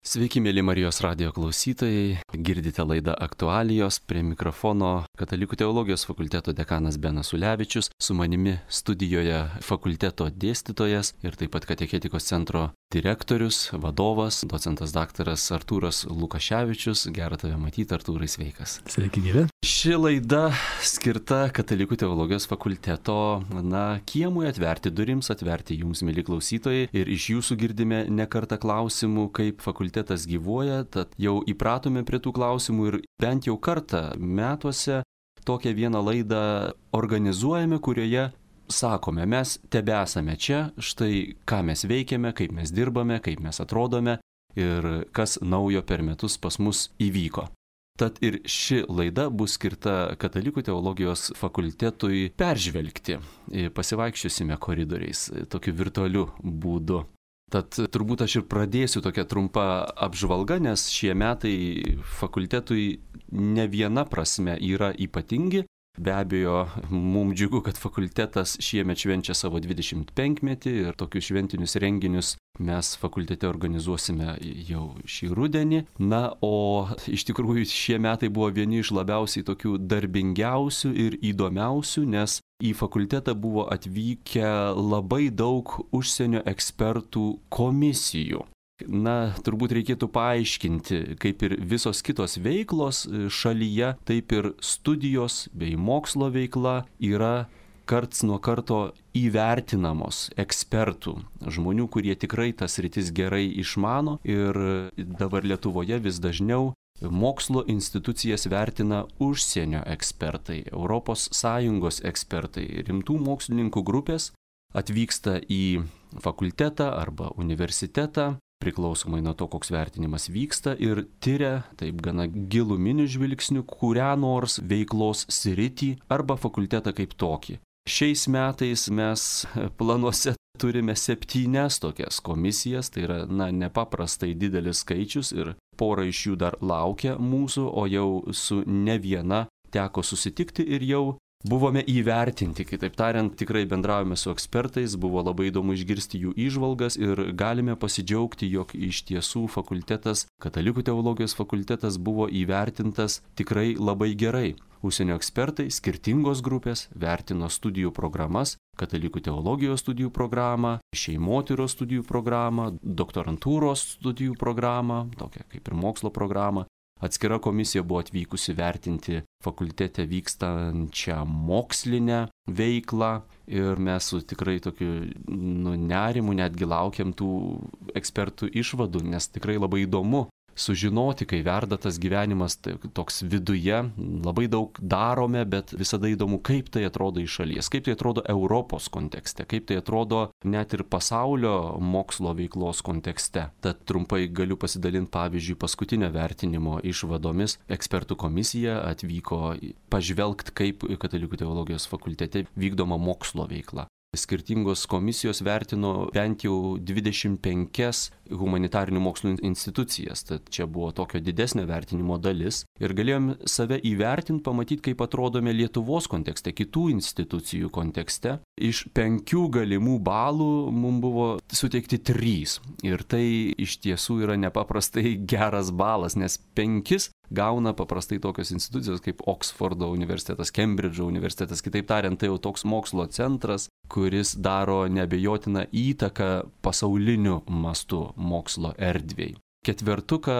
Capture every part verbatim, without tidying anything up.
Sveiki, mėly Marijos radijo klausytojai, girdite laidą Aktualijos, prie mikrofono Katalikų teologijos fakulteto dekanas Benas Ulevičius, su manimi studijoje fakulteto dėstytojas ir taip pat Katechetikos centro direktorius, vadovas, docentas daktaras Artūras Lukaševičius. Gera tave matyti, Artūrai, sveikas. Sveiki, gyvi. Ši laida skirta Katalikų teologijos fakulteto, na, kiemui atverti, durims atverti jums, mėly klausytojai, ir iš jūsų girdime ne kartą klausimų, kaip fakultetas gyvuoja, tad jau įpratome prie tų klausimų ir bent jau kartą metuose tokią vieną laidą organizuojame, kurioje sakome, mes tebesame čia, štai ką mes veikiame, kaip mes dirbame, kaip mes atrodome ir kas naujo per metus pas mus įvyko. Tad ir ši laida bus skirta Katalikų teologijos fakultetui peržvelgti. Pasivaikščiosime koridoriais, tokiu virtualiu būdu. Tad turbūt aš ir pradėsiu tokią trumpą apžvalgą, nes šie metai fakultetui ne viena prasme yra ypatingi. Be abejo, mums džiugu, kad fakultetas šiemet švenčia savo dvidešimt penkmetį ir tokius šventinius renginius mes fakultete organizuosime jau šį rudenį. Na, o iš tikrųjų šie metai buvo vieni iš labiausiai tokių darbingiausių ir įdomiausių, nes į fakultetą buvo atvykę labai daug užsienio ekspertų komisijų. Na, turbūt reikėtų paaiškinti, kaip ir visos kitos veiklos šalyje, taip ir studijos bei mokslo veikla yra karts nuo karto įvertinamos ekspertų, žmonių, kurie tikrai tas sritis gerai išmano, ir dabar Lietuvoje vis dažniau mokslo institucijas vertina užsienio ekspertai, Europos Sąjungos ekspertai, rimtų mokslininkų grupės atvyksta į fakultetą arba universitetą, priklausomai nuo to, koks vertinimas vyksta, ir tyria taip gana giluminiu žvilgsniu kurią nors veiklos sritį arba fakultetą kaip tokį. Šiais metais mes planuose turime septynias tokias komisijas, tai yra, na, nepaprastai didelis skaičius ir pora iš jų dar laukia mūsų, o jau su ne viena teko susitikti ir jau buvome įvertinti, kitaip tariant, tikrai bendravome su ekspertais, buvo labai įdomu išgirsti jų įžvalgas ir galime pasidžiaugti, jog iš tiesų fakultetas, Katalikų teologijos fakultetas buvo įvertintas tikrai labai gerai. Užsienio ekspertai, skirtingos grupės, vertino studijų programas, Katalikų teologijos studijų programą, šeimotyros studijų programą, doktorantūros studijų programą, tokią kaip ir mokslo programą. Atskira komisija buvo atvykusi vertinti fakultete vykstančią mokslinę veiklą ir mes su tikrai tokiu nu, nerimu netgi laukiam tų ekspertų išvadų, nes tikrai labai įdomu sužinoti, kai verda tas gyvenimas tai, toks viduje, labai daug darome, bet visada įdomu, kaip tai atrodo iš šalies, kaip tai atrodo Europos kontekste, kaip tai atrodo net ir pasaulio mokslo veiklos kontekste. Tad trumpai galiu pasidalinti, pavyzdžiui, paskutinio vertinimo išvadomis. Ekspertų komisija atvyko pažvelgti, kaip Katalikų teologijos fakultete vykdoma mokslo veikla. Skirtingos komisijos vertino bent jau dvidešimt penkias humanitarinių mokslų institucijas, tad čia buvo tokio didesnio vertinimo dalis ir galėjom save įvertinti, pamatyti, kaip atrodome Lietuvos kontekste, kitų institucijų kontekste. Iš penkių galimų balų mums buvo suteikti trys ir tai iš tiesų yra nepaprastai geras balas, nes penkis gauna paprastai tokios institucijos kaip Oksfordo universitetas, Kembridžo universitetas, kitaip tariant, tai jau toks mokslo centras, kuris daro neabejotiną įtaką pasauliniu mastu mokslo erdvei. Ketvertuką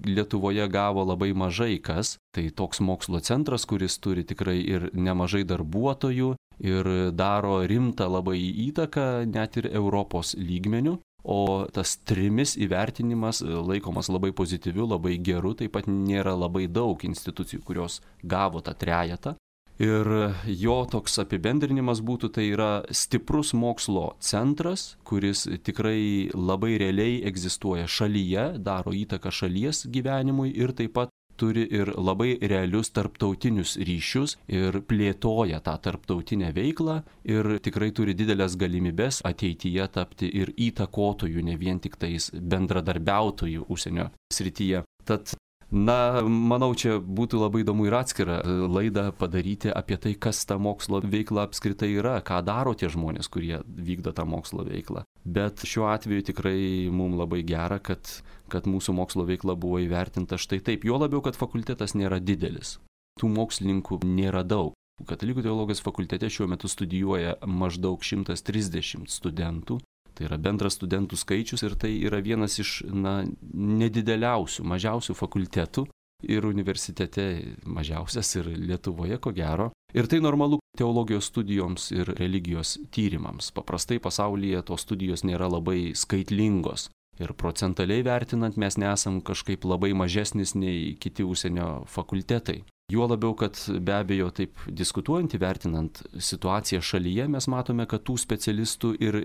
Lietuvoje gavo labai mažai kas, tai toks mokslo centras, kuris turi tikrai ir nemažai darbuotojų ir daro rimtą labai įtaką net ir Europos lygmeniu. O tas trimis įvertinimas laikomas labai pozityviu, labai geru, taip pat nėra labai daug institucijų, kurios gavo tą trejetą. Ir jo toks apibendrinimas būtų, tai yra stiprus mokslo centras, kuris tikrai labai realiai egzistuoja šalyje, daro įtaką šalies gyvenimui ir taip pat turi ir labai realius tarptautinius ryšius ir plėtoja tą tarptautinę veiklą ir tikrai turi didelės galimybės ateityje tapti ir įtakotojų, ne vien tik tais bendradarbiautojų užsienio srityje. Tad Na, manau, čia būtų labai įdomu ir atskirą laidą padaryti apie tai, kas ta mokslo veikla apskritai yra, ką daro tie žmonės, kurie vykdo tą mokslo veiklą. Bet šiuo atveju tikrai mums labai gera, kad, kad mūsų mokslo veikla buvo įvertinta štai taip. Jo labiau, kad fakultetas nėra didelis. Tų mokslininkų nėra daug. Katalikų teologijos fakultete šiuo metu studijuoja maždaug šimtas trisdešimt studentų. Tai yra bendras studentų skaičius ir tai yra vienas iš na, nedideliausių, mažiausių fakultetų ir universitete mažiausias ir Lietuvoje, ko gero. Ir tai normalu teologijos studijoms ir religijos tyrimams. Paprastai pasaulyje tos studijos nėra labai skaitlingos. Ir procentaliai vertinant mes nesam kažkaip labai mažesnis nei kiti užsienio fakultetai. Juo labiau, kad be abejo taip diskutuojant, įvertinant situaciją šalyje, mes matome, kad tų specialistų ir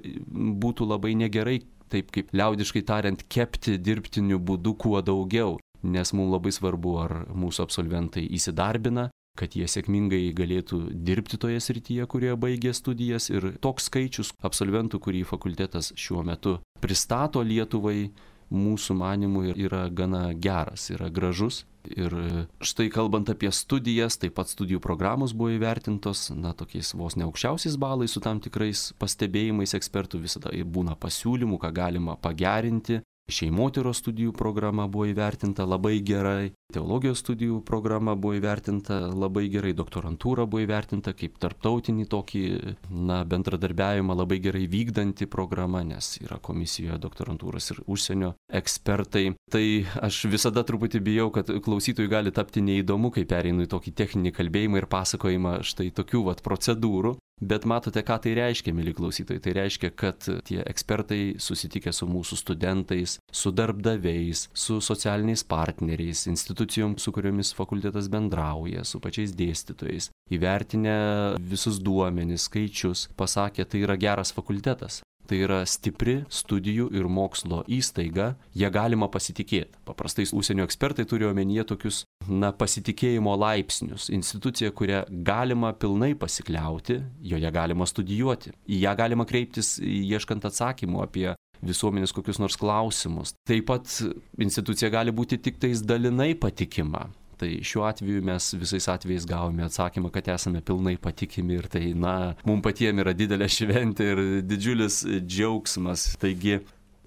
būtų labai negerai, taip kaip liaudiškai tariant, kepti dirbtiniu būdu kuo daugiau, nes mums labai svarbu, ar mūsų absolventai įsidarbina, kad jie sėkmingai galėtų dirbti toje srityje, kurioje baigė studijas ir toks skaičius absolventų, kurį fakultetas šiuo metu pristato Lietuvai, mūsų manimų yra gana geras, yra gražus. Ir štai kalbant apie studijas, taip pat studijų programos buvo įvertintos, na, tokiais vos ne aukščiausiais balais su tam tikrais pastebėjimais ekspertų, visada būna pasiūlymų, ką galima pagerinti. Šeimotyros studijų programa buvo įvertinta labai gerai, teologijos studijų programa buvo įvertinta labai gerai, doktorantūra buvo įvertinta kaip tarptautinį tokį, na, bendradarbiavimą labai gerai vykdanti programa, nes yra komisijoje doktorantūros ir užsienio ekspertai. Tai aš visada truputį bijau, kad klausytojui gali tapti neįdomu, kai pereinu į tokį techninį kalbėjimą ir pasakojimą štai tokių vat procedūrų. Bet matote, ką tai reiškia, mėly klausytojai. Tai reiškia, kad tie ekspertai susitikę su mūsų studentais, su darbdaviais, su socialiniais partneriais, institucijom, su kuriomis fakultetas bendrauja, su pačiais dėstytojais, įvertinę visus duomenis, skaičius, pasakė, tai yra geras fakultetas. Tai yra stipri studijų ir mokslo įstaiga, ją galima pasitikėti. Paprastai užsienio ekspertai turi omenyje tokius, na, pasitikėjimo laipsnius. Institucija, kurią galima pilnai pasikliauti, joje galima studijuoti. Į ją galima kreiptis ieškant atsakymų apie visuomenės kokius nors klausimus. Taip pat institucija gali būti tik tais dalinai patikima. Tai šiuo atveju mes visais atvejais gavome atsakymą, kad esame pilnai patikimi ir tai, na, mums patiems yra didelė šventė ir didžiulis džiaugsmas. Taigi,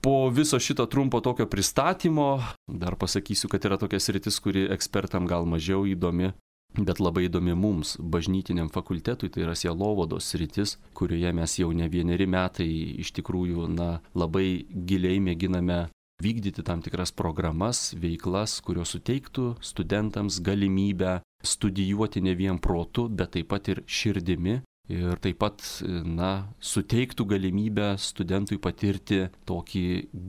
po viso šito trumpo tokio pristatymo, dar pasakysiu, kad yra tokia sritis, kuri ekspertam gal mažiau įdomi, bet labai įdomi mums, bažnytiniam fakultetui, tai yra sielovados sritis, kurioje mes jau ne vieneri metai iš tikrųjų, na, labai giliai mėginame vykdyti tam tikras programas, veiklas, kurios suteiktų studentams galimybę studijuoti ne vien protu, bet taip pat ir širdimi. Ir taip pat, na, suteiktų galimybę studentui patirti tokį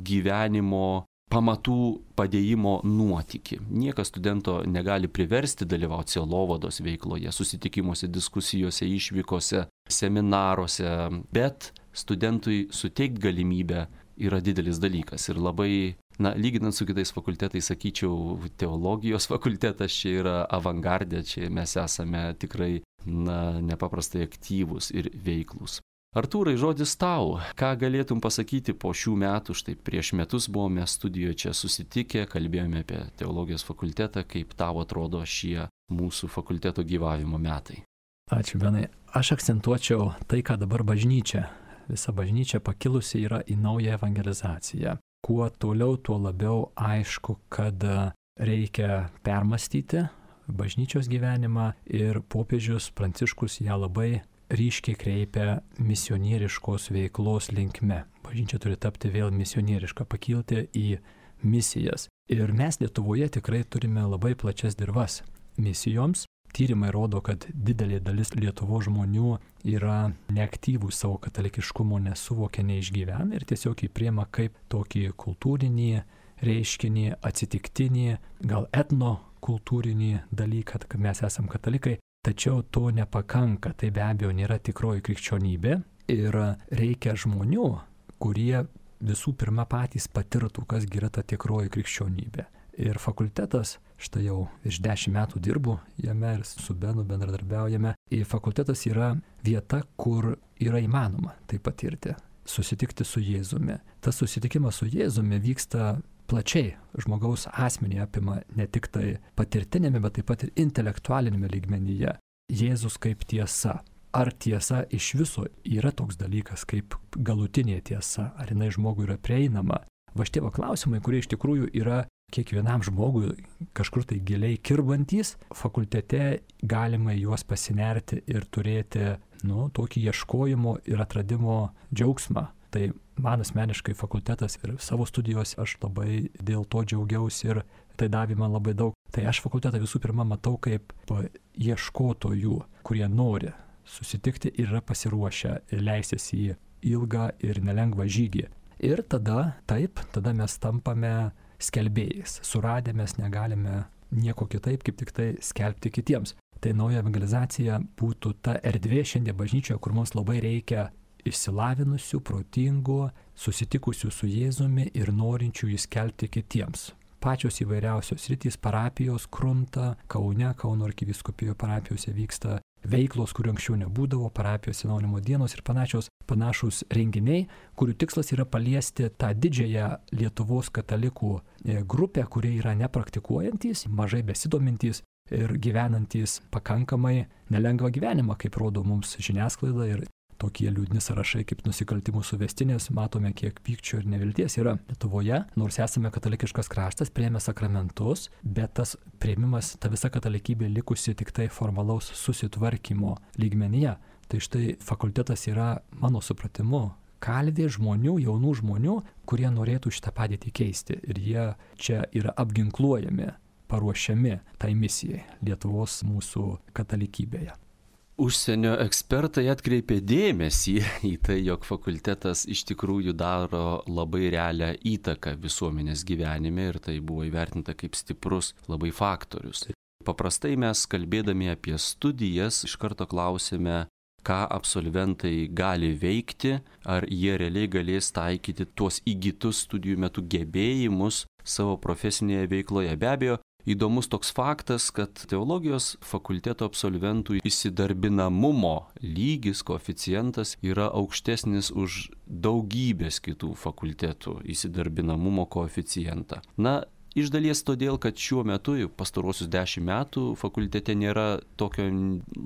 gyvenimo pamatų padėjimo nuotykį. Niekas studento negali priversti dalyvauti sielovados veikloje, susitikimuose, diskusijose, išvykose, seminaruose, bet studentui suteikti galimybę yra didelis dalykas ir labai, na, lyginant su kitais fakultetais, sakyčiau, teologijos fakultetas čia yra avangardė, čia mes esame tikrai, na, nepaprastai aktyvūs ir veiklūs. Artūrai, žodis tau, ką galėtum pasakyti po šių metų, štai prieš metus buvome studijoje čia susitikę, kalbėjome apie teologijos fakultetą, kaip tau atrodo šie mūsų fakulteto gyvavimo metai. Ačiū, Benai. Aš akcentuočiau tai, ką dabar bažnyčia. Visa bažnyčia pakilusi yra į naują evangelizaciją. Kuo toliau, tuo labiau aišku, kad reikia permastyti bažnyčios gyvenimą ir popiežius Pranciškus ją labai ryškiai kreipia misionieriškos veiklos linkme. Bažnyčia turi tapti vėl misionieriška, pakilti į misijas. Ir mes Lietuvoje tikrai turime labai plačias dirvas misijoms. Tyrimai rodo, kad didelė dalis Lietuvos žmonių yra neaktyvų savo katalikiškumo, nesuvokia, neišgyvena ir tiesiog jį priima kaip tokį kultūrinį reiškinį, atsitiktinį, gal etnokultūrinį dalyką, kad mes esam katalikai. Tačiau to nepakanka, tai be abejo nėra tikroji krikščionybė ir reikia žmonių, kurie visų pirma patys patirtų, kas yra ta tikroji krikščionybė. Ir fakultetas, štai jau virš dešimt metų dirbu jame ir su Benu bendradarbiaujame. Ir fakultetas yra vieta, kur yra įmanoma tai patirti, susitikti su Jėzumi. Tas susitikimas su Jėzumi vyksta plačiai žmogaus asmenį apima ne tik tai patirtinėme, bet taip pat ir intelektualinėme lygmenyje. Jėzus kaip tiesa. Ar tiesa iš viso yra toks dalykas kaip galutinė tiesa, ar jinai žmogui yra prieinama? Va šitie va klausimai, kurie iš tikrųjų yra kiekvienam žmogui kažkur tai giliai kirbantys, fakultete galima juos pasinerti ir turėti, nu, tokį ieškojimo ir atradimo džiaugsmą. Tai man asmeniškai fakultetas ir savo studijos aš labai dėl to džiaugiausi ir tai davė man labai daug. Tai aš fakultetą visų pirma matau kaip ieškotojų, kurie nori susitikti ir yra pasiruošę leistis į ilgą ir nelengvą žygį. Ir tada, taip, tada mes tampame skelbėjais. Suradę mes negalime nieko kitaip, kaip tik tai skelbti kitiems. Tai nauja evangelizacija būtų ta erdvė šiandien bažnyčioje, kur mums labai reikia išsilavinusių, protingų, susitikusių su Jėzumi ir norinčių jį skelbti kitiems. Pačios įvairiausios sritys, parapijos krunta, Kaune, Kauno arkivyskupijoje parapijose vyksta veiklos, kurių anksčiau nebūdavo, parapijos atsinaujinimo dienos ir panašios, panašus renginiai, kurių tikslas yra paliesti tą didžiąją Lietuvos katalikų grupę, kurie yra nepraktikuojantys, mažai besidomintys ir gyvenantys pakankamai nelengvą gyvenimą, kaip rodo mums žiniasklaida ir tokie liūdni sąrašai kaip nusikaltimų suvestinės, matome, kiek pykčio ir nevilties yra Lietuvoje, nors esame katalikiškas kraštas, priėmė sakramentus, bet tas priėmimas, ta visa katalikybė likusi tik tai formalaus susitvarkymo lygmenyje. Tai štai fakultetas yra, mano supratimu, kalvė žmonių, jaunų žmonių, kurie norėtų šitą padėtį keisti. Ir jie čia yra apginkluojami, paruošiami tai misijai Lietuvos mūsų katalikybėje. Užsienio ekspertai atkreipė dėmesį į tai, jog fakultetas iš tikrųjų daro labai realią įtaką visuomenės gyvenime ir tai buvo įvertinta kaip stiprus labai faktorius. Paprastai mes, kalbėdami apie studijas, iš karto klausime, ką absolventai gali veikti, ar jie realiai galės taikyti tuos įgytus studijų metu gebėjimus savo profesinėje veikloje. Be abejo, įdomus toks faktas, kad teologijos fakulteto absolventų įsidarbinamumo lygis, koeficientas yra aukštesnis už daugybės kitų fakultetų įsidarbinamumo koeficientą. Na, iš dalies todėl, kad šiuo metu, pastarosius dešimt metų, fakultete nėra tokio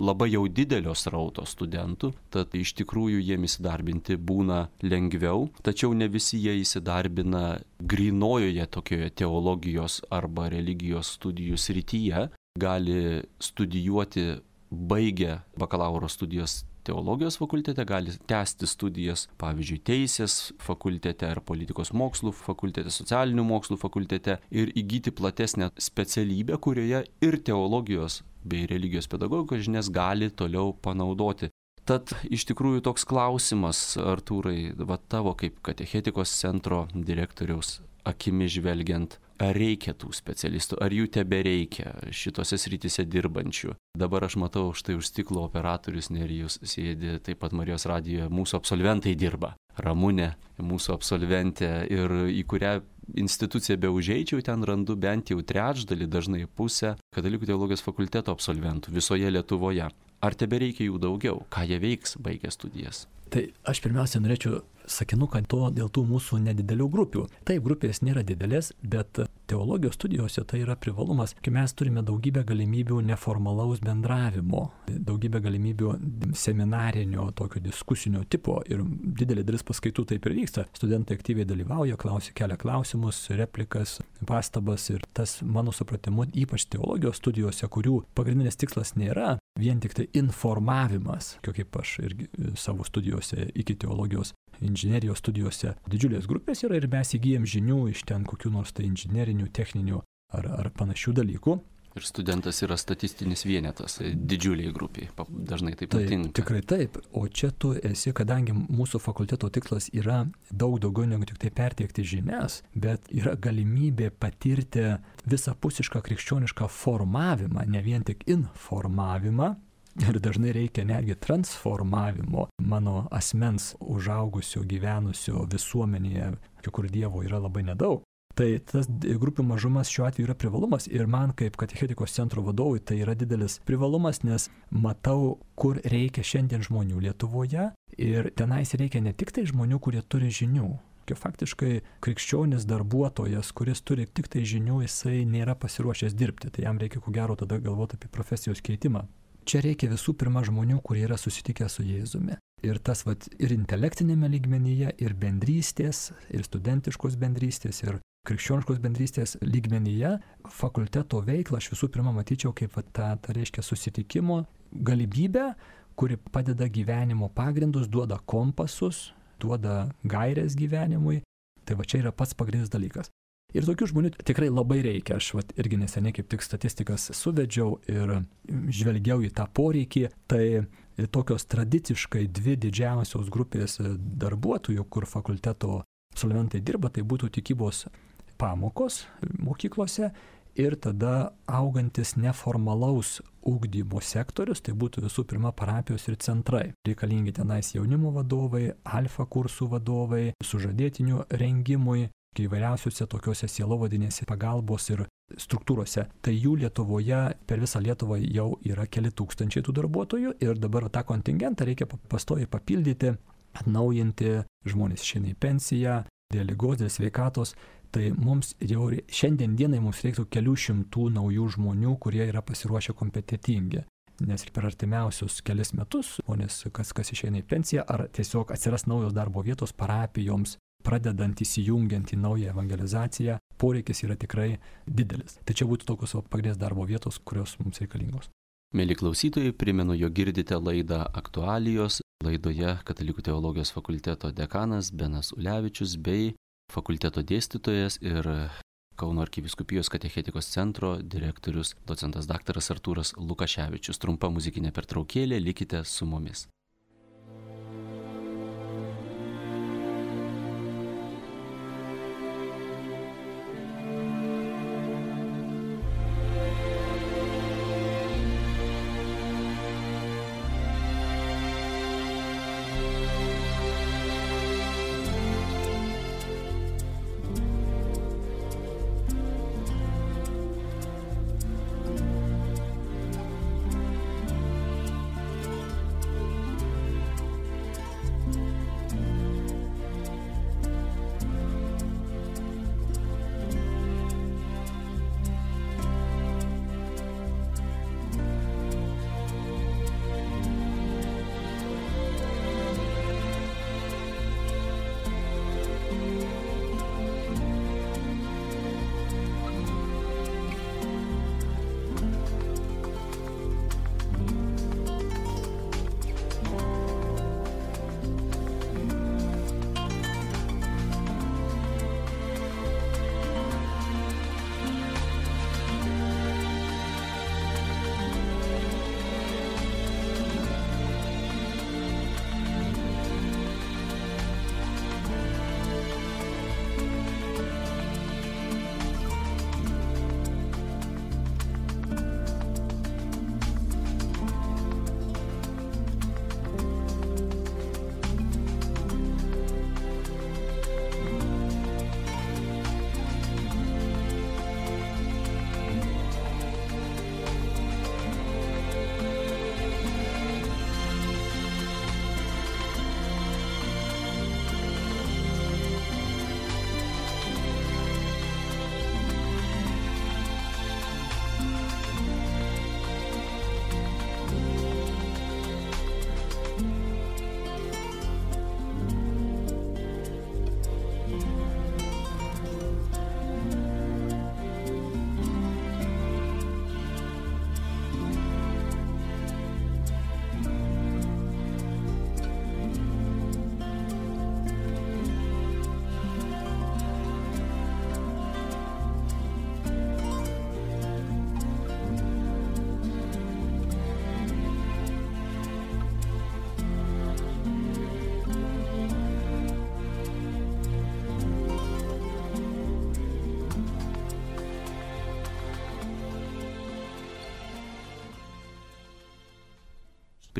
labai jau didelio srauto studentų, tad iš tikrųjų jiems įsidarbinti būna lengviau, tačiau ne visi jie įsidarbina grynojoje tokioje teologijos arba religijos studijų srityje, gali studijuoti baigę bakalauro studijos teologijos fakultete, gali tęsti studijas, pavyzdžiui, teisės fakultete ar politikos mokslų fakultete, socialinių mokslų fakultete ir įgyti platesnę specialybę, kurioje ir teologijos bei religijos pedagogikos žinias gali toliau panaudoti. Tad iš tikrųjų toks klausimas, Artūrai, va tavo kaip katechetikos centro direktoriaus akimi žvelgiant, ar reikia tų specialistų, ar jų tebereikia šitose srityse dirbančių. Dabar aš matau, štai už stiklo operatorius Nerijus sėdi, taip pat Marijos radijoje mūsų absolventai dirba. Ramunė, mūsų absolventė, ir į kurią instituciją beužeičiau, ten randu bent jau trečdalį, dažnai pusę Katalikų teologijos fakulteto absolventų visoje Lietuvoje. Ar tebereikia jų daugiau? Ką jie veiks baigę studijas? Tai aš pirmiausia norėčiau sakinuką to dėl tų mūsų nedidelių grupių. Taip, grupės nėra didelės, bet teologijos studijose tai yra privalumas, kai mes turime daugybę galimybių neformalaus bendravimo, daugybę galimybių seminarinio, tokio diskusinio tipo ir didelė dalis paskaitų taip ir vyksta. Studentai aktyviai dalyvauja, klausia, kelia klausimus, replikas, pastabas ir tas, mano supratimu, ypač teologijos studijose, kurių pagrindinis tikslas nėra vien tik tai informavimas, kaip aš irgi savo studijose iki teologijos inžinerijos studijose didžiulės grupės yra ir mes įgyjam žinių iš ten kokių nors tai inžinerinių, techninių ar, ar panašių dalykų. Ir studentas yra statistinis vienetas didžiuliai grupiai, dažnai taip nutinka. Taip, tikrai taip, o čia tu esi, kadangi mūsų fakulteto tikslas yra daug daugiau negu tik tai perteikti žinias, bet yra galimybė patirti visapusišką krikščionišką formavimą, ne vien tik informavimą. Ir dažnai reikia netgi transformavimo mano asmens užaugusio, gyvenusio visuomenėje, kur Dievo yra labai nedaug. Tai tas grupių mažumas šiuo atveju yra privalumas ir man kaip katechetikos centro vadovui tai yra didelis privalumas, nes matau, kur reikia šiandien žmonių Lietuvoje ir tenais reikia ne tik tai žmonių, kurie turi žinių, Faktiškai krikščionis darbuotojas, kuris turi tik tai žinių, jisai nėra pasiruošęs dirbti, tai jam reikia ko gero tada galvoti apie profesijos keitimą. Čia reikia visų pirma žmonių, kurie yra susitikę su Jėzumi. Ir tas vat, ir intelektinėme lygmenyje, ir bendrystės, ir studentiškos bendrystės, ir krikščioniškos bendrystės lygmenyje fakulteto veiklą aš visų pirma matyčiau kaip vat, tą, tą reiškia susitikimo galimybę, kuri padeda gyvenimo pagrindus, duoda kompasus, duoda gairės gyvenimui. Tai va čia yra pats pagrindinis dalykas. Ir tokių žmonių tikrai labai reikia. Aš vat, irgi neseniai kaip tik statistikas suvedžiau ir žvelgiau į tą poreikį. Tai tokios tradiciškai dvi didžiausios grupės darbuotojų, kur fakulteto absolventai dirba, tai būtų tikybos pamokos mokyklose ir tada augantis neformalaus ugdymo sektorius, tai būtų visų pirma parapijos ir centrai. Reikalingi tenais jaunimo vadovai, alfa kursų vadovai, sužadėtinių rengimui, įvairiausiuose tokiuose sielovadinėse pagalbos ir struktūrose. Tai jų Lietuvoje, per visą Lietuvą jau yra keli tūkstančiai tų darbuotojų ir dabar tą kontingentą reikia pastoviai papildyti, atnaujinti, žmonės išeina į pensiją, dėl ligos, dėl sveikatos. Tai mums jau šiandien dienai mums reiktų kelių šimtų naujų žmonių, kurie yra pasiruošę kompetitingi. Nes per artimiausius kelias metus, žmonės, kas, kas išeina į pensiją, ar tiesiog atsiras naujos darbo vietos parapijoms, pradedant įsijungiant į naują evangelizaciją, poreikis yra tikrai didelis. Tai čia būtų tokios pagrindinės darbo vietos, kurios mums reikalingos. Mieli klausytojai, primenu, jog girdite laidą Aktualijos. Laidoje Katalikų teologijos fakulteto dekanas Benas Ulevičius bei fakulteto dėstytojas ir Kauno arkivyskupijos katechetikos centro direktorius docentas daktaras Artūras Lukaševičius. Trumpa muzikinė pertraukėlė, likite su mumis.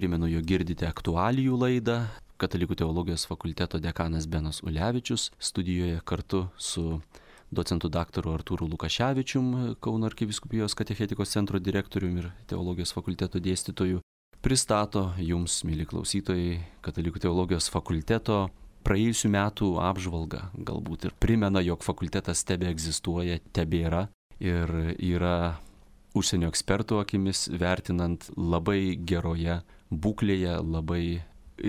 Primenu, jog girdite aktualijų laidą. Katalikų teologijos fakulteto dekanas Benas Ulevičius studijoje kartu su docentu daktaru Artūru Lukaševičium, Kauno arkivyskupijos katechetikos centro direktoriumi ir teologijos fakulteto dėstytoju, pristato jums, mieli klausytojai, Katalikų teologijos fakulteto praėjusių metų apžvalgą, galbūt ir primena, jog fakultetas tebe egzistuoja, tebėra ir yra užsienio ekspertų akimis vertinant labai geroje būklėje, labai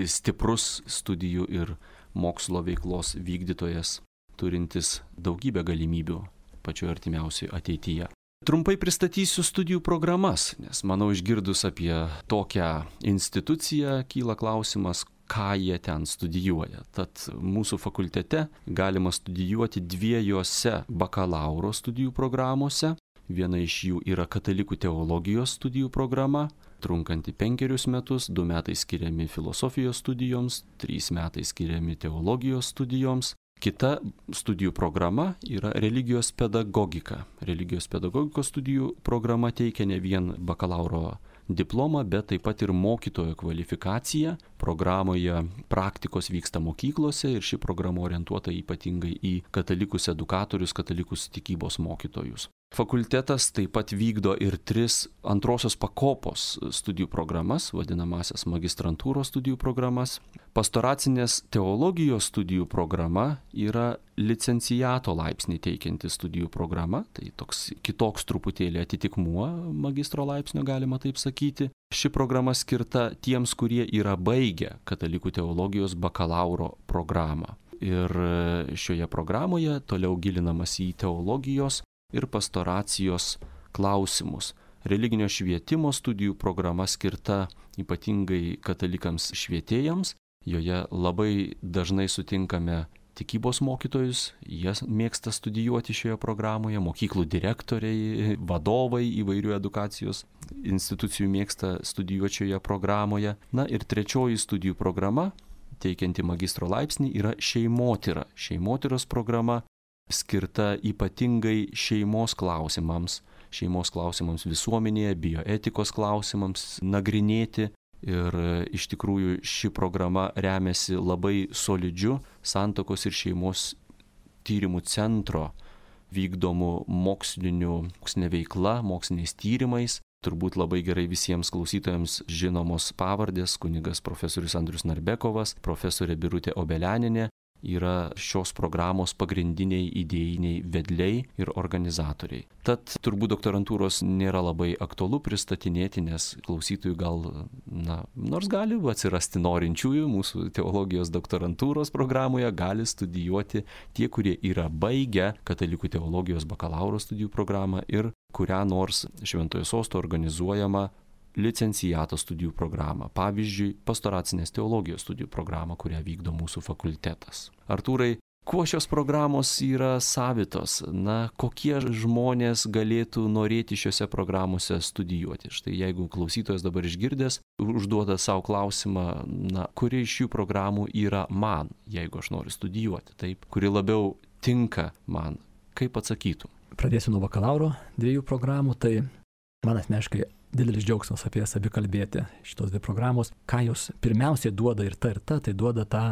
stiprus studijų ir mokslo veiklos vykdytojas, turintis daugybę galimybių pačioje artimiausioje ateityje. Trumpai pristatysiu studijų programas, nes manau išgirdus apie tokią instituciją kyla klausimas, ką jie ten studijuoja. Tad mūsų fakultete galima studijuoti dviejose bakalauro studijų programuose. Viena iš jų yra katalikų teologijos studijų programa, trunkanti penkerius metus, du metai skiriami filosofijos studijoms, trys metai skiriami teologijos studijoms. Kita studijų programa yra religijos pedagogika. Religijos pedagogikos studijų programa teikia ne vien bakalauro diplomą, bet taip pat ir mokytojo kvalifikaciją. Programoje praktikos vyksta mokyklose ir ši programa orientuota ypatingai į katalikus edukatorius, katalikus tikybos mokytojus. Fakultetas taip pat vykdo ir tris antrosios pakopos studijų programas, vadinamasias magistrantūros studijų programas. Pastoracinės teologijos studijų programa yra licenciato laipsnį teikianti studijų programa, tai toks kitoks truputėlį atitikmuo magistro laipsnio, galima taip sakyti. Ši programa skirta tiems, kurie yra baigę katalikų teologijos bakalauro programą. Ir šioje programoje toliau gilinamas į teologijos ir pastoracijos klausimus. Religinio švietimo studijų programa skirta ypatingai katalikams švietėjams. Joje labai dažnai sutinkame tikybos mokytojus, jie mėgsta studijuoti šioje programoje, mokyklų direktoriai, vadovai įvairių edukacijos institucijų mėgsta studijuoti šioje programoje. Na ir trečioji studijų programa, teikianti magistro laipsnį, yra šeimotyra. Šeimotyros programa skirta ypatingai šeimos klausimams, šeimos klausimams visuomenėje, bioetikos klausimams nagrinėti. Ir iš tikrųjų ši programa remiasi labai solidžiu Santuokos ir šeimos tyrimų centro vykdomų mokslinių, mokslinė veikla, moksliniais tyrimais. Turbūt labai gerai visiems klausytojams žinomos pavardės: kunigas profesorius Andrius Narbekovas, profesorė Birutė Obelianinė yra šios programos pagrindiniai idėjiniai vedliai ir organizatoriai. Tad turbūt doktorantūros nėra labai aktualu pristatinėti, nes klausytojų gal, na, nors gali atsirasti norinčiųjų mūsų teologijos doktorantūros programoje, gali studijuoti tie, kurie yra baigę katalikų teologijos bakalauro studijų programą ir kurią nors Šventojo Sosto organizuojama licenciato studijų programą, pavyzdžiui, pastoracinės teologijos studijų programą, kurią vykdo mūsų fakultetas. Artūrai, kuo šios programos yra savitos? Na, kokie žmonės galėtų norėti šiuose programuose studijuoti? Štai jeigu klausytojas dabar išgirdęs, užduoda savo klausimą, na, kuri iš šių programų yra man, jeigu aš noriu studijuoti, taip, kuri labiau tinka man, kaip atsakytum? Pradėsiu nuo bakalauro dviejų programų, tai man asmeniškai didelis džiaugsmas apie jas abi kalbėti, šitos dvi programos. Ką jos pirmiausiai duoda ir ta ir ta, tai duoda tą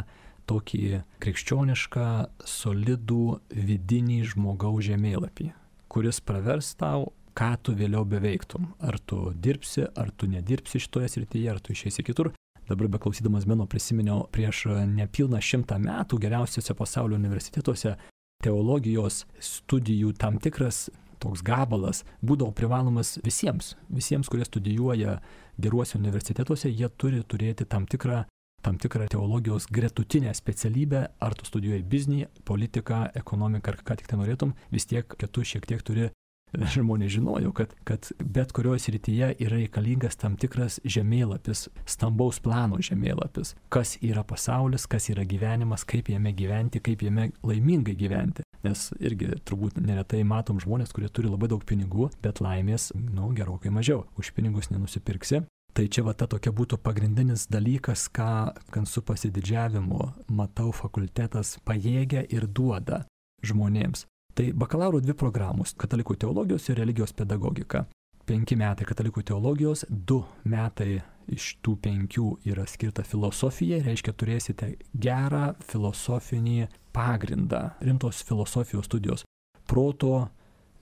tokį krikščionišką, solidų vidinį žmogaus žemėlapį, kuris pravers tau, ką tu vėliau beveiktum. Ar tu dirbsi, ar tu nedirbsi šitoje srityje, ar tu išeisi kitur. Dabar beklausydamas Beno prisiminiau prieš nepilną šimtą metų geriausiuose pasaulio universitetuose teologijos studijų tam tikras toks gabalas būdavo privalomas visiems. Visiems, kurie studijuoja geruose universitetuose, jie turi turėti tam tikrą, tam tikrą teologijos gretutinę specialybę. Ar tu studijuoji biznį, politiką, ekonomiką, ar ką tik tai norėtum, vis tiek, kad tu šiek tiek turi. Žmonės žinojo, kad, kad bet kurioje srityje yra reikalingas tam tikras žemėlapis, stambaus plano žemėlapis. Kas yra pasaulis, kas yra gyvenimas, kaip jame gyventi, kaip jame laimingai gyventi. Nes irgi turbūt neretai matom žmonės, kurie turi labai daug pinigų, bet laimės, nu, gerokai mažiau. Už pinigus nenusipirksi. Tai čia va ta tokia būtų pagrindinis dalykas, ką, kan su pasididžiavimu matau fakultetas pajėgia ir duoda žmonėms. Tai bakalauro dvi programos – katalikų teologijos ir religijos pedagogika. Penki metai katalikų teologijos, du metai iš tų penkių yra skirta filosofijai, reiškia turėsite gerą filosofinį pagrindą, rimtos filosofijos studijos, proto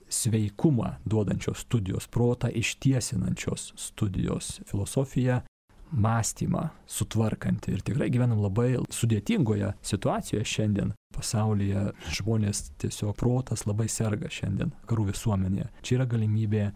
sveikumą duodančios studijos, protą ištiesinančios studijos. Filosofija mąstymą sutvarkanti. Ir tikrai gyvenam labai sudėtingoje situacijoje šiandien. Pasaulyje žmonės tiesiog protas labai serga šiandien karų visuomenėje. Čia yra galimybė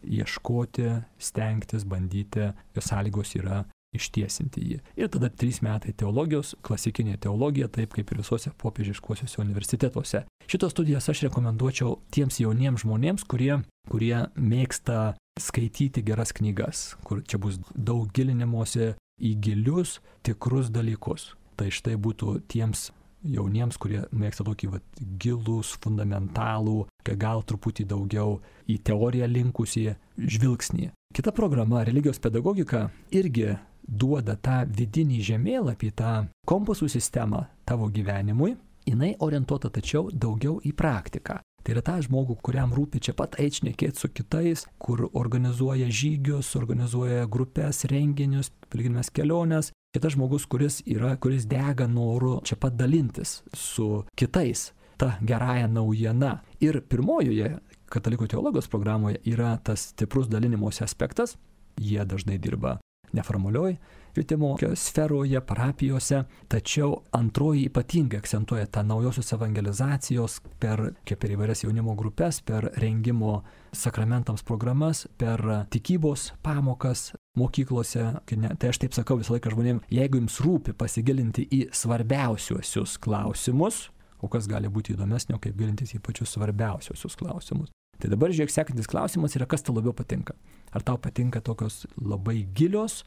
ieškoti, stengtis, bandyti, jos sąlygos yra ištiesinti jį. Ir tada trys metai teologijos, klasikinė teologija, taip kaip ir visose popiežiškuosiuose universitetuose. Šitos studijas aš rekomenduočiau tiems jauniems žmonėms, kurie, kurie mėgsta skaityti geras knygas, kur čia bus daug gilinimosi į gilius, tikrus dalykus. Tai štai būtų tiems jauniems, kurie mėgsta tokį vat, gilus, fundamentalų, gal truputį daugiau į teoriją linkusį žvilgsnį. Kita programa, religijos pedagogika, irgi duoda tą vidinį žemėlapį, tą kompasų sistemą tavo gyvenimui. Jinai orientuota tačiau daugiau į praktiką. Tai yra tą žmogų, kuriam rūpi čia pat eit šnekėti su kitais, kur organizuoja žygius, organizuoja grupės, renginius, piligrimes keliones. Kitas žmogus, kuris yra, kuris dega noru čia pat dalintis su kitais ta gerąja naujiena. Ir pirmojoje katalikų teologijos programoje yra tas stiprus dalinimosi aspektas. Jie dažnai dirba neformalioj švietimo sferoje, parapijose, tačiau antroji ypatingai akcentuoja tą naujosios evangelizacijos per, kaip per įvairias jaunimo grupės, per rengimo sakramentams programas, per tikybos pamokas mokyklose. Tai aš taip sakau visą laiką žmonėms, jeigu jums rūpi pasigilinti į svarbiausiuosius klausimus, o kas gali būti įdomesnio, kaip gilintis į pačius svarbiausiuosius klausimus. Tai dabar žiūrėk, sekantis klausimas yra, kas tau labiau patinka. Ar tau patinka tokios labai gilios,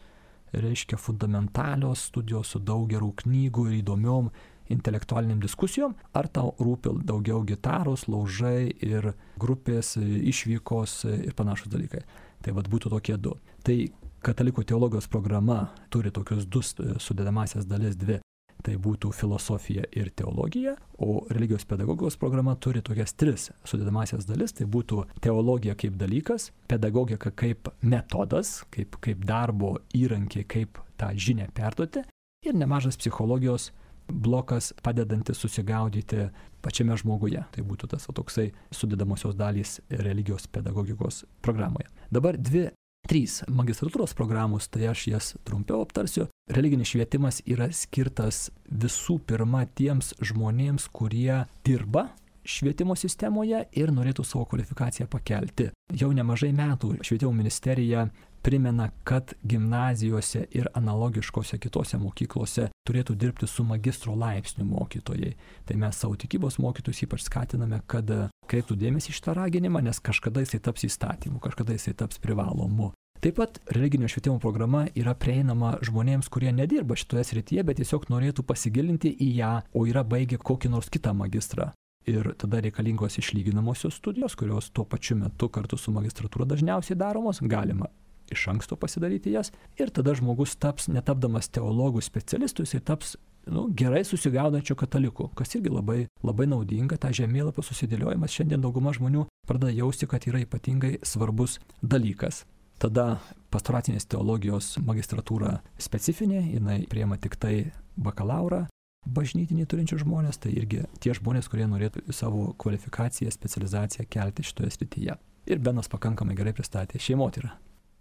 reiškia fundamentalios studijos su daug gerų knygų ir įdomiom intelektualiniam diskusijom, ar tau rūpi daugiau gitaros, laužai ir grupės, išvykos ir panašus dalykai. Tai vad būtų tokie du. Tai katalikų teologijos programa turi tokius du sudedamasias dalis, dvi. Tai būtų filosofija ir teologija, o religijos pedagogijos programa turi tokias tris sudedamasias dalis. Tai būtų teologija kaip dalykas, pedagogika kaip metodas, kaip, kaip darbo įrankiai, kaip tą žinią perduoti ir nemažas psichologijos blokas padedantis susigaudyti pačiame žmoguje. Tai būtų tas toksai sudedamosios dalys religijos pedagogikos programoje. Dabar dvi Trys magistratūros programos, tai aš jas trumpiau aptarsiu. Religinis švietimas yra skirtas visų pirma tiems žmonėms, kurie dirba švietimo sistemoje ir norėtų savo kvalifikaciją pakelti. Jau nemažai metų švietimo ministerija primena, kad gimnazijose ir analogiškose kitose mokyklose turėtų dirbti su magistro laipsnių mokytojai. Tai mes savo tikybos mokytojus ypač skatiname, kad kreiptų dėmesį šitą raginimą, nes kažkada jisai taps įstatymu, kažkada jisai taps privalomu. Taip pat religinio švietimo programa yra prieinama žmonėms, kurie nedirba šitoje srityje, bet tiesiog norėtų pasigilinti į ją, o yra baigę kokį nors kitą magistrą. Ir tada reikalingos išlyginamosios studijos, kurios tuo pačiu metu kartu su magistratūra dažniausiai daromos, galima iš anksto pasidaryti jas. Ir tada žmogus taps, netapdamas teologų specialistų, jisai taps nu, gerai susigaudančių katalikų, kas irgi labai, labai naudinga. Ta žemėlapio susidėliojimas šiandien dauguma žmonių pradeda jausti, kad yra ypatingai svarbus dalykas. Tada pastoracinės teologijos magistratūra specifinė, jinai priima tik tai bakalaurą bažnytinį turinčių žmonės, tai irgi tie žmonės, kurie norėtų savo kvalifikaciją, specializaciją kelti šitoje srityje. Ir Benas pakankamai gerai pristatė šeimotyrą.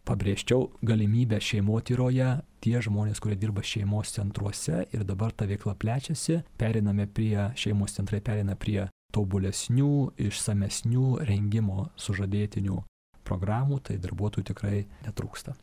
Pabrėžčiau galimybę šeimotyroje, tie žmonės, kurie dirba šeimos centruose ir dabar ta veikla plečiasi, periname prie, šeimos centrai perina prie tobulesnių, išsamesnių rengimo sužadėtinių programų, tai darbuotojų tikrai netrūksta.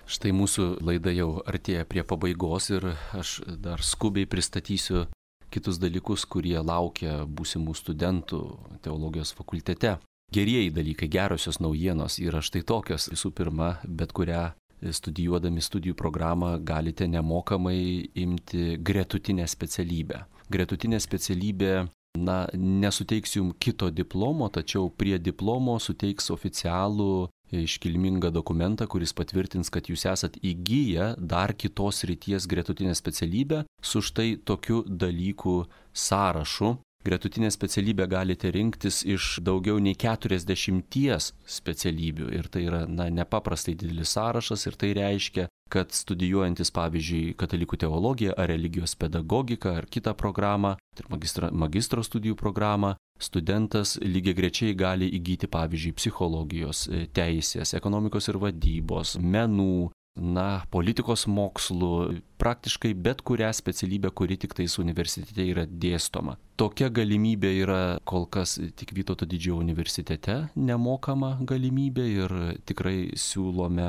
Štai mūsų laida jau artėja prie pabaigos ir aš dar skubiai pristatysiu kitus dalykus, kurie laukia būsimų studentų teologijos fakultete. Gerieji dalykai, gerosios naujienos yra štai tokios. Visų pirma, bet kurią studijuodami studijų programą galite nemokamai imti gretutinę specialybę. Gretutinė specialybė, na, nesuteiks jums kito diplomo, tačiau prie diplomo suteiks oficialų iškilmingą dokumentą, kuris patvirtins, kad jūs esat įgyję dar kitos srities gretutinę specialybę su štai tokiu dalykų sąrašu. Gretutinę specialybę galite rinktis iš daugiau nei keturiasdešimties specialybių ir tai yra na, nepaprastai didelis sąrašas ir tai reiškia, kad studijuojantis pavyzdžiui katalikų teologiją ar religijos pedagogiką ar kitą programą, tai magistro, magistro studijų programą, studentas lygiagrečiai gali įgyti pavyzdžiui psichologijos, teisės, ekonomikos ir vadybos, menų, na, politikos mokslų, praktiškai bet kurią specialybę, kuri tik tais universitete yra dėstoma. Tokia galimybė yra kol kas tik Vytauto Didžiojo universitete nemokama galimybė ir tikrai siūlome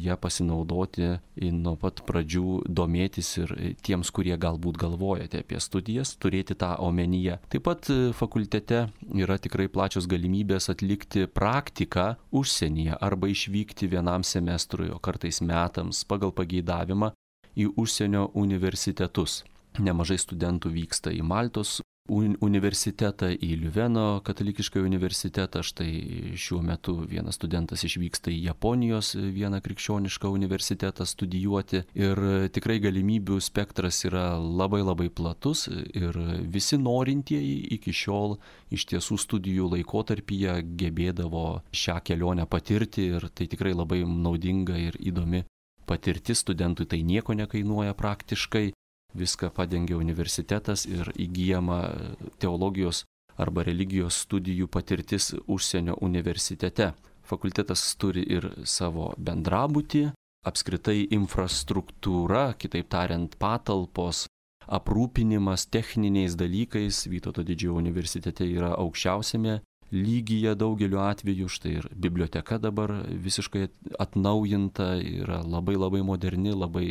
ją pasinaudoti nuo pat pradžių, domėtis ir tiems, kurie galbūt galvojate apie studijas, turėti tą omenyje. Taip pat fakultete yra tikrai plačios galimybės atlikti praktiką užsienyje arba išvykti vienam semestrui, o kartais metams pagal pageidavimą į užsienio universitetus. Nemažai studentų vyksta į Maltos universitetą, į Liuveno katalikišką universitetą. Štai šiuo metu vienas studentas išvyksta į Japonijos vieną krikščionišką universitetą studijuoti. Ir tikrai galimybių spektras yra labai labai platus ir visi norintieji iki šiol iš tiesų studijų laikotarpyje gebėdavo šią kelionę patirti ir tai tikrai labai naudinga ir įdomi patirtis. Studentui tai nieko nekainuoja praktiškai. Viską padengia universitetas ir įgyjama teologijos arba religijos studijų patirtis užsienio universitete. Fakultetas turi ir savo bendrabutį, apskritai infrastruktūra, kitaip tariant patalpos, aprūpinimas techniniais dalykais Vytauto Didžiojo universitete yra aukščiausiame lygyje daugeliu atveju. Štai ir biblioteka dabar visiškai atnaujinta, yra labai labai moderni, labai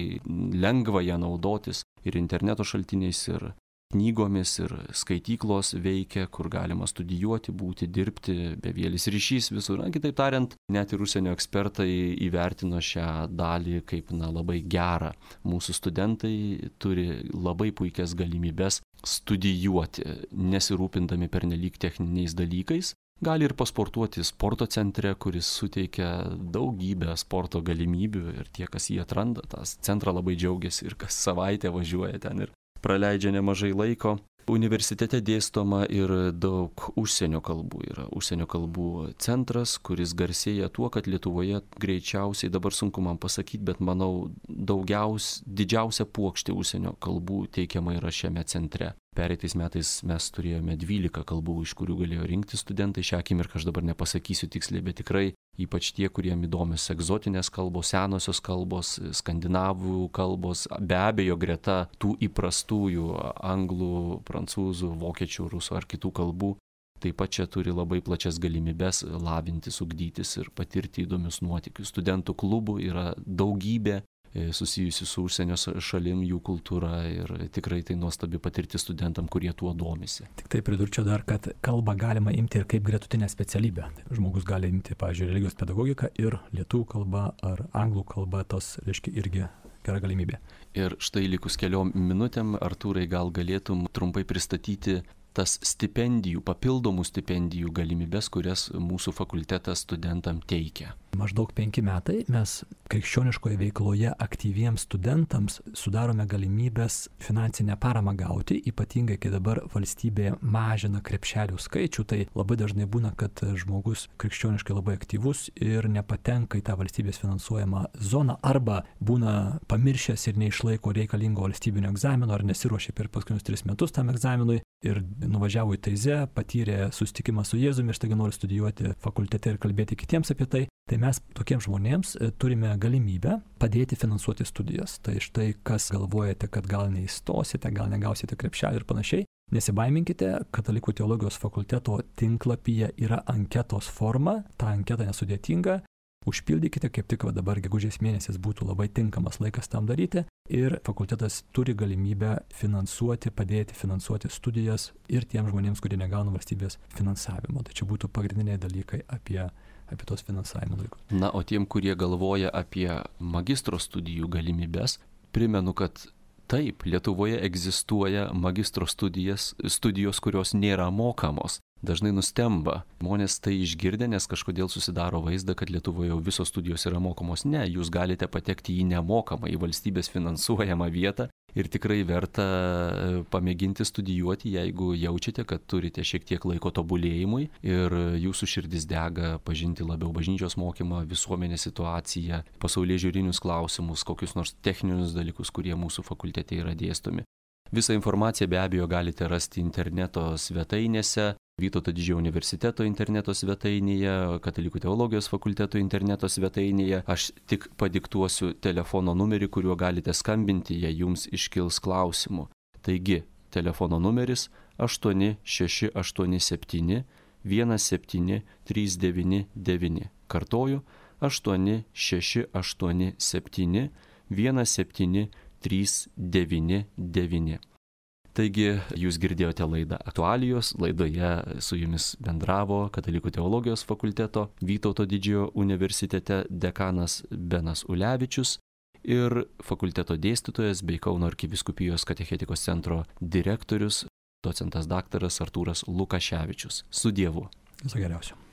lengva ją naudotis. Ir interneto šaltiniais, ir knygomis, ir skaityklos veikia, kur galima studijuoti, būti, dirbti, bevėlis ryšys visur. Na, kitaip tariant, net ir užsienio ekspertai įvertino šią dalį kaip na, labai gerą. Mūsų studentai turi labai puikias galimybes studijuoti, nesirūpindami pernelyg techniniais dalykais. Gali ir pasportuoti sporto centre, kuris suteikia daugybę sporto galimybių ir tie, kas jį atranda, tas centrą labai džiaugiasi ir kas savaitę važiuoja ten ir praleidžia nemažai laiko. Universitete dėstoma ir daug užsienio kalbų. Yra užsienio kalbų centras, kuris garsėja tuo, kad Lietuvoje greičiausiai, dabar sunku man pasakyti, bet manau, daugiaus, didžiausia puokštė užsienio kalbų teikiama yra šiame centre. Pereitais metais mes turėjome dvylika kalbų, iš kurių galėjo rinkti studentai. Šią akimirką aš dabar nepasakysiu tiksliai, bet tikrai ypač tie, kuriem įdomios egzotinės kalbos, senosios kalbos, skandinavų kalbos, be abejo greta tų įprastųjų anglų, prancūzų, vokiečių, rusų ar kitų kalbų. Taip pat čia turi labai plačias galimybes lavintis, ugdytis ir patirti įdomius nuotykius. Studentų klubų yra daugybė susijusi su užsienio šalim, jų kultūra ir tikrai tai nuostabi patirti studentam, kurie tuo domisi. Tik tai pridurčiau dar, kad kalbą galima imti ir kaip gretutinę specialybę. Žmogus gali imti, pavyzdžiui, religijos pedagogiką ir lietuvių kalba ar anglų kalba, tos, reiškia, irgi gera galimybė. Ir štai likus keliom minutėm, Artūrai, gal galėtum trumpai pristatyti tas stipendijų, papildomų stipendijų galimybės, kurias mūsų fakultetas studentam teikia. Maždaug penki metai mes krikščioniškoje veikloje aktyviems studentams sudarome galimybės finansinę paramą gauti, ypatingai kai dabar valstybė mažina krepšelių skaičių, tai labai dažnai būna, kad žmogus krikščioniškai labai aktyvus ir nepatenka į tą valstybės finansuojamą zoną arba būna pamiršęs ir neišlaiko reikalingo valstybinio egzamino ar nesiruošia per paskutinius tris metus tam egzaminui ir nuvažiavo į Taizę, patyrė susitikimą su Jėzumi ir staiga nori studijuoti fakultete ir kalbėti kitiems apie tai. Tai mes tokiems žmonėms turime galimybę padėti finansuoti studijas. Tai štai, kas galvojate, kad gal neįstosite, gal negausite krepšelį ir panašiai, nesibaiminkite, Katalikų teologijos fakulteto tinklapyje yra anketos forma, ta anketa nesudėtinga. Užpildykite, kaip tik va dabar gegužės mėnesis būtų labai tinkamas laikas tam daryti ir fakultetas turi galimybę finansuoti, padėti finansuoti studijas ir tiems žmonėms, kurie negauna valstybės finansavimo. Tai čia būtų pagrindiniai dalykai apie, apie tos finansavimo dalykus. Na, o tiem, kurie galvoja apie magistro studijų galimybės, primenu, kad taip, Lietuvoje egzistuoja magistro studijas, studijos, kurios nėra mokamos. Dažnai nustemba. Žmonės tai išgirdę, nes kažkodėl susidaro vaizdą, kad Lietuvoje jau visos studijos yra mokamos. Ne, jūs galite patekti į nemokamą, į valstybės finansuojamą vietą ir tikrai verta pamėginti studijuoti, jeigu jaučiate, kad turite šiek tiek laiko tobulėjimui ir jūsų širdis dega pažinti labiau bažnyčios mokymą, visuomenės situaciją, pasaulėžiūrinius klausimus, kokius nors techninius dalykus, kurie mūsų fakultete yra dėstomi. Visą informaciją be abejo galite rasti interneto svetainėse. Vytauto didžiojo universiteto interneto svetainėje, Katalikų teologijos fakulteto interneto svetainėje. Aš tik padiktuosiu telefono numerį, kuriuo galite skambinti, jei jums iškils klausimų. Taigi, telefono numeris aštuoni šeši aštuoni septyni vienas septyni trys devyni devyni. Kartoju, aštuoni šeši aštuoni septyni vienas septyni trys devyni devyni. Taigi, jūs girdėjote laidą Aktualijos, laidoje su jumis bendravo Katalikų teologijos fakulteto Vytauto didžiojo universitete dekanas Benas Ulevičius ir fakulteto dėstytojas bei Kauno arkivyskupijos katechetikos centro direktorius, docentas daktaras Artūras Lukaševičius. Su Dievu. Viso geriausio.